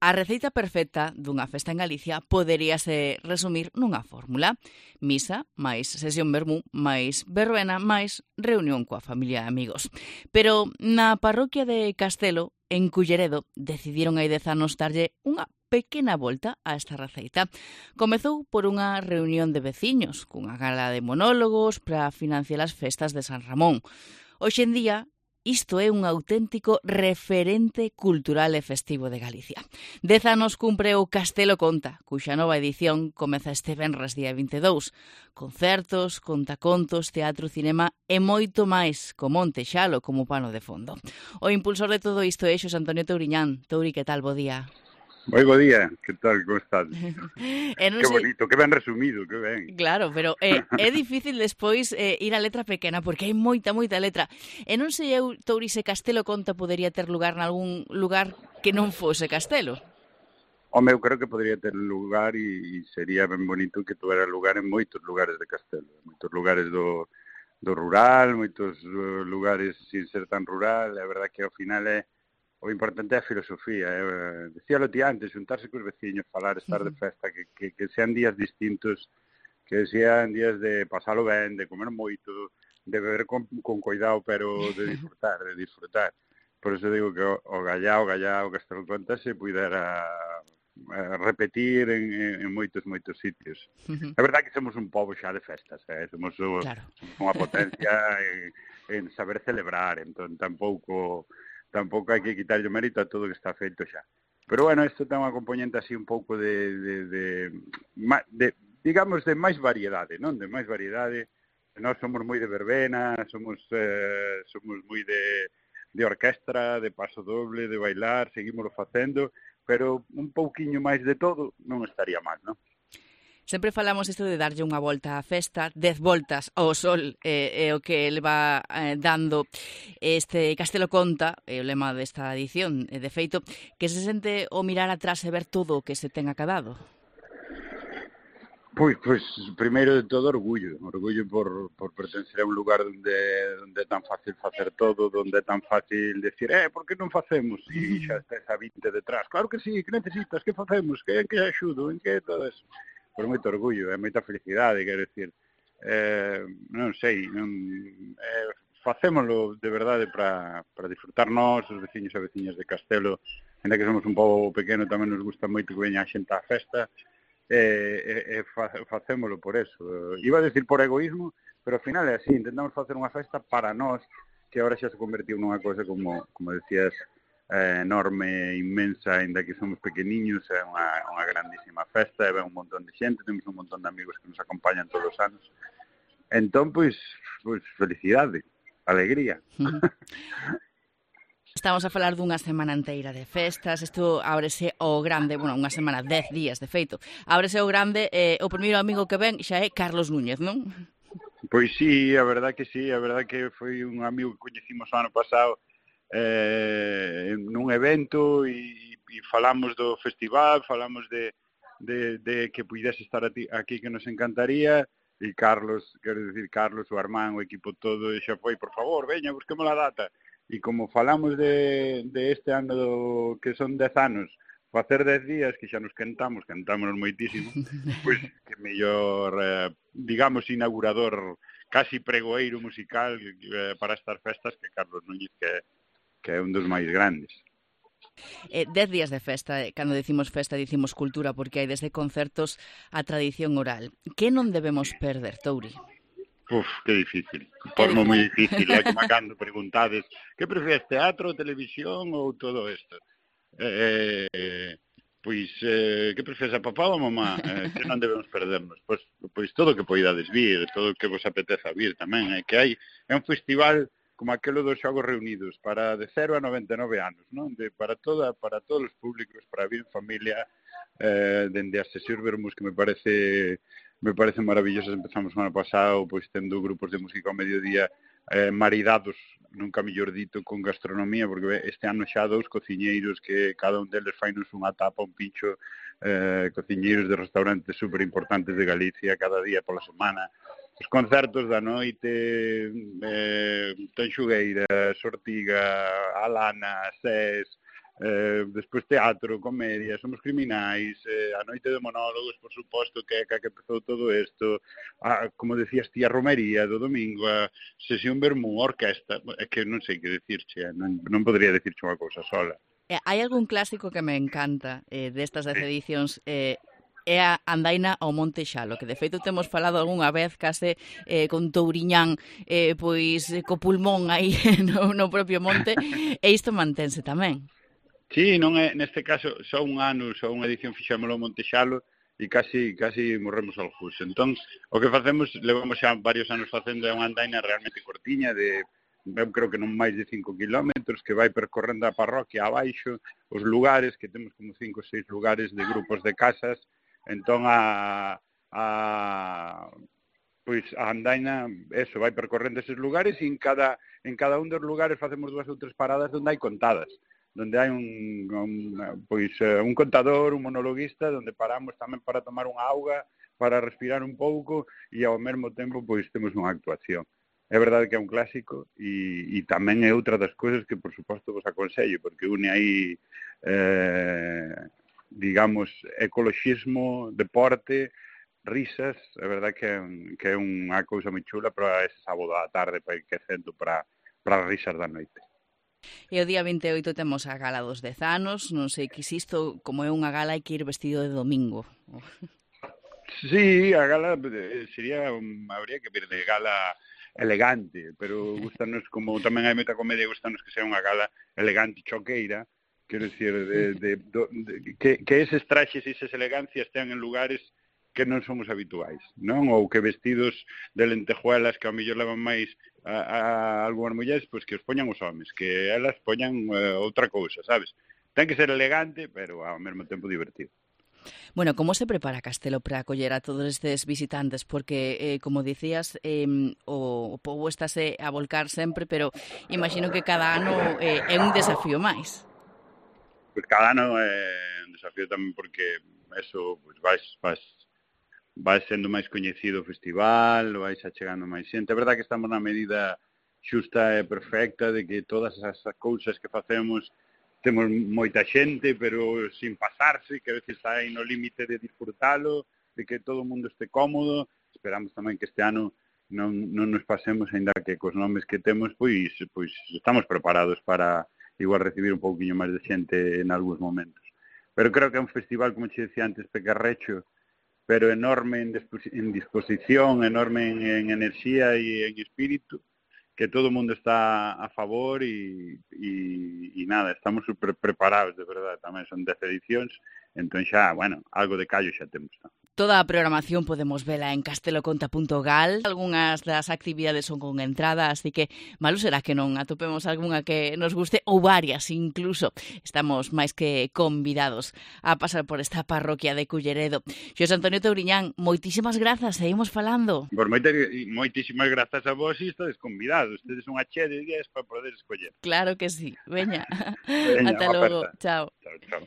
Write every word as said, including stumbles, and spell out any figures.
A receita perfecta dunha festa en Galicia poderíase resumir nunha fórmula. Misa, máis sesión vermú, máis verbena, máis reunión coa familia e amigos. Pero na parroquia de Castelo, en Culleredo, decidiron hai dez anos darlle unha pequena volta a esta receita. Comezou por unha reunión de veciños, cunha gala de monólogos para financiar as festas de San Ramón. Hoxe en día, isto é un auténtico referente cultural e festivo de Galicia. Dez anos cumpre o Castelo Conta, cuxa nova edición comeza este venres día vinte e dous. Concertos, contacontos, teatro, cinema e moito máis, co Monte Xalo como pano de fondo. O impulsor de todo isto é Xosé Antonio Touriñán. Touri, que tal? Bo día. Moi bo día, que tal, como estás? E non que sei... bonito, que ben resumido, que ben. Claro, pero é, é difícil despois eh, ir a letra pequena, porque hai moita, moita letra. E non sei eu, Touri, se Castelo Conta podería ter lugar nalgún lugar que non fose Castelo. Home, eu creo que podría ter lugar e, e sería ben bonito que tuvera lugar en moitos lugares de Castelo. Moitos lugares do, do rural, moitos uh, lugares sin ser tan rural. A verdade que ao final é o importante é a filosofía. Eh, decíalo ti antes, juntarse cos veciños, falar, estar de festa, que, que, que sean días distintos, que sean días de pasalo ben, de comer moito, de beber con, con cuidado, pero de disfrutar, de disfrutar. Por eso digo que o, o Gallá, o Gallá, o Castelo Conta se pudera eh, repetir en, en, en moitos, moitos sitios. É verdade que somos un pobo xa de festas, eh? somos, o, Claro. somos unha potencia en, en saber celebrar, entón tampouco... tampouco hai que quitarlle o mérito a todo o que está feito xa. Pero, bueno, isto ten unha componente así un pouco de, de, de, de, digamos, de máis variedade, non? De máis variedade. Nós somos moi de verbena, somos eh, somos moi de, de orquestra, de paso doble, de bailar, seguimoslo facendo, pero un pouquiño máis de todo non estaría mal, non? Sempre falamos isto de darlle unha volta á festa, dez voltas ao sol é, é o que ele va eh, dando este Castelo Conta, é o lema desta edición, e de feito, que se sente o mirar atrás e ver todo o que se ten acadado. Pois, pois, primeiro de todo, orgullo. Orgullo por, por pertencer a un lugar onde, onde é tan fácil facer todo, onde é tan fácil decir, eh, por que non facemos? E xa está esa vinte detrás. Claro que sí, que necesitas, que facemos, que, que axudo, en que todo eso. Por moito orgullo, é moita felicidade, quero dicir, eh, non sei, non, eh, facémolo de verdade para, para disfrutar nós, os veciños e veciñas de Castelo, ainda que somos un pobo pequeno, tamén nos gusta moito que veña a xente á festa, e eh, eh, fa, facémolo por eso. Iba a decir por egoísmo, pero ao final é así, intentamos facer unha festa para nós, que agora xa se convertiu nunha cosa como, como decías, eh, enorme, inmensa, ainda que somos pequeniños, é unha, unha grandísima festa, e ven un montón de xente, temos un montón de amigos que nos acompañan todos os anos. Entón, pois, pois felicidade, alegría. Uh-huh. Estamos a falar dunha semana inteira de festas, isto ábrese o grande, bueno, unha semana, dez días de feito, ábrese o grande, eh, o primeiro amigo que ven xa é Carlos Núñez, non? Pois sí, a verdade que sí, a verdade que foi un amigo que coñecimos o ano pasado, eh, nun evento e, e falamos do festival, falamos de, de, de que pudese estar aquí, que nos encantaría, e Carlos, quero dicir, Carlos, o Armán, o equipo todo, xa foi, por favor, veña, busquemos a data. E como falamos de, de este ano do, que son dez anos, facer dez días, que xa nos quentamos, quentámonos moitísimo, pois que mellor, eh, digamos, inaugurador, casi pregoeiro musical eh, para estas festas que Carlos Núñez, que que é un dos máis grandes. Eh, dez días de festa, eh, cando decimos festa, dicimos cultura, porque hai desde concertos a tradición oral. Que non debemos perder, Touri? Uf, que difícil. Pormo moi difícil, é como cando preguntades que prefieres, teatro, televisión ou todo isto? Eh, eh, pois, eh, que prefieres, a papá ou a mamá? Eh, que non debemos perdernos? Pois, pois todo o que poidades vir, todo o que vos apeteza vir tamén. É que hai, é un festival como aquelo dos Xogos Reunidos, para de cero a noventa e nove anos, non? De, para, toda, para todos os públicos, para vir en familia, eh, dende as sesións vermos que me parece me parece maravilloso. Empezamos o ano pasado, pois tendo grupos de música ao mediodía, eh, maridados, nunca mellor dito, con gastronomía, porque este ano xa dous cociñeiros que cada un deles fainos unha tapa, un pincho, eh, cociñeiros de restaurantes super importantes de Galicia, cada día pola semana. Os concertos da noite, eh, Tanxugueira, Sortiga, Alana, Sés, eh, despois teatro, comedia, somos criminais, eh, a noite de monólogos, por suposto, que é que, que empezou todo isto, a, como decías ti, a romería do domingo, a sesión vermú, a orquesta, é que non sei que decirche, eh, non, non podría decirche unha cousa sola. Eh, hai algún clásico que me encanta eh, destas dez edicións, eh, é a andaina ao Monte Xalo, que de feito temos falado algunha vez case eh, con Touriñán, eh, pois co pulmón aí no, no propio monte, e isto mantense tamén. Sí, non é, neste caso, só un ano, só unha edición fixámoslo ao Monte Xalo e casi casi morremos ao jus. Entón, o que facemos, levamos xa varios anos facendo unha andaina realmente cortiña de, eu creo que non máis de cinco kilómetros, que vai percorrendo a parroquia abaixo, os lugares, que temos como cinco ou seis lugares de grupos de casas. Entón, a, a pois a andaina, eso, vai percorrendo eses lugares e en cada, en cada un dos lugares facemos dúas ou tres paradas onde hai contadas, donde hai un, un pois un contador, un monologuista, donde paramos tamén para tomar unha auga, para respirar un pouco e ao mesmo tempo pois temos unha actuación. É verdade que é un clásico e, e tamén é outra das cousas que por suposto vos aconsello, porque une aí eh, digamos ecoloxismo, deporte, risas, é verdade que é, que é unha cousa moi chula para ese sábado á tarde para ir quecendo para, para as risas da noite. E o día vinte e oito temos a gala dos dez anos, non sei que isto, como é unha gala, hai que ir vestido de domingo. Sí, a gala sería, habría que vir de gala elegante, pero gustanos, como tamén hai moita comedia, gustanos que sea unha gala elegante choqueira, quero dicir, de, de, de, de, que, que eses traxes e esas elegancias estean en lugares que non somos habituais, non? Ou que vestidos de lentejuelas que ao mellor levan máis a, a algunhas mulleres, pois que os poñan os homes, que elas poñan uh, outra cousa, sabes? Ten que ser elegante, pero ao mesmo tempo divertido. Bueno, como se prepara Castelo para acoller a todos estes visitantes? Porque, eh, como dicías, eh, o, o pobo estáse a volcar sempre, pero imagino que cada ano eh, é un desafío máis. Pois cada ano é un desafío tamén porque eso, pois vais, vais vai sendo máis coñecido o festival, vai xa chegando máis xente. É verdade que estamos na medida xusta e perfecta de que todas as cousas que facemos temos moita xente, pero sin pasarse, que a veces está aí no límite de disfrutalo, de que todo o mundo este cómodo. Esperamos tamén que este ano non, non nos pasemos, ainda que cos nomes que temos, pois, pois estamos preparados para igual recibir un pouquiño máis de xente en algúns momentos. Pero creo que é un festival, como che decía antes, pecarrecho, pero enorme en, en disposición, enorme en, en enerxía e en espírito, que todo o mundo está a favor e, e, e nada, estamos super preparados, de verdade, tamén son dez edicións, entón xa, bueno, algo de callo xa temos, non? Toda a programación podemos vela en casteloconta punto gal. Algúnas das actividades son con entrada, así que malo será que non atopemos algunha que nos guste, ou varias incluso. Estamos máis que convidados a pasar por esta parroquia de Culleredo. Xosé Antonio Touriñán, moitísimas grazas, seguimos falando. Por moita, moitísimas grazas a vos e estades convidados. Tedes unha che de días para poder escoller. Claro que sí. Veña, Veña, ata logo. Chao. Chao, chao.